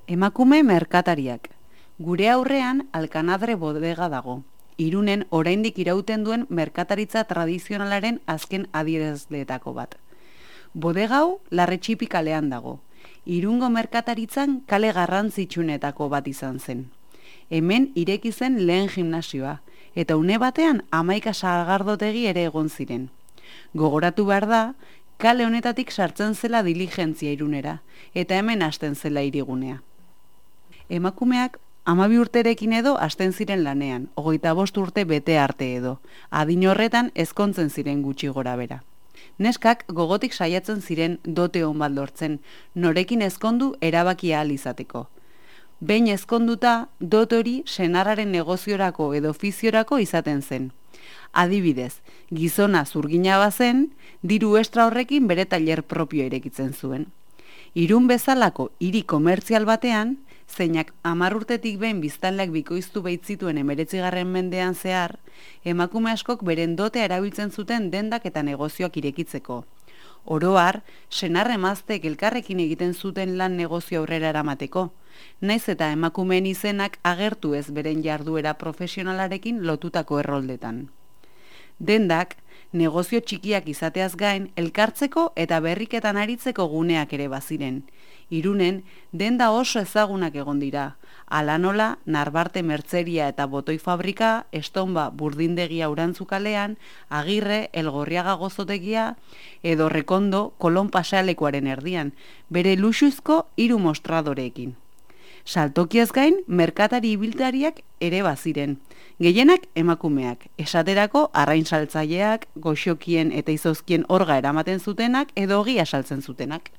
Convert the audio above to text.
Emakume merkatariak. Gure aurrean Alkanadre bodega dago. Irunen oraindik irauten duen merkataritza tradizionalaren azken adierazleetako bat. Bodega hau Larretxipi kalean dago. Irungo merkataritzan kale garrantzitsuenetako bat izan zen. Hemen ireki zen lehen gimnasioa, eta une batean 11 sagardotegi ere egon ziren. Gogoratu behar da, kale honetatik sartzen zela diligentzia Irunera, eta hemen hasten zela hirigunea. Emakumeak 12 urterekin edo hasten ziren lanean, 25 urte bete arte edo, adin horretan ezkontzen ziren gutxi gora bera. Neskak gogotik saiatzen ziren dote on bat lortzen, norekin ezkondu erabakia ahal izateko. Behin ezkonduta, dote hori senarraren negoziorako edo ofiziorako izaten zen. Adibidez, gizona zurgina bazen, diru estra horrekin bere tailer propio irekitzen zuen. Irun bezalako hiri komertzial batean, zeinak 10 urtetik behin biztanleak bikoiztu baitzituen 19. mendean zehar, emakume askok beren dotea erabiltzen zuten dendak eta negozioak irekitzeko. Oro har, senar emazteek elkarrekin egiten zuten lan negozio aurrera eramateko, naiz eta emakumeen izenak agertu ez beren jarduera profesionalarekin lotutako erroldetan. Dendak, negozio txikiak izateaz gain, elkartzeko eta berriketan aritzeko guneak ere baziren. Irunen, denda oso ezagunak egon dira. Hala nola, Narbarte mertzeria eta botoi fabrika, Estonba burdindegia Urantzukalean, Agirre, Elgorriaga gozotegia, edo Rekondo Kolon pasealekuaren erdian, bere luxuzko 3 mostradoreekin. Saltokiaz gain, merkatari ibiltariak ere baziren. Gehienak emakumeak, esaterako arrain saltzaileak, goxokien eta izozkien orga eramaten zutenak edo ogia saltzen zutenak.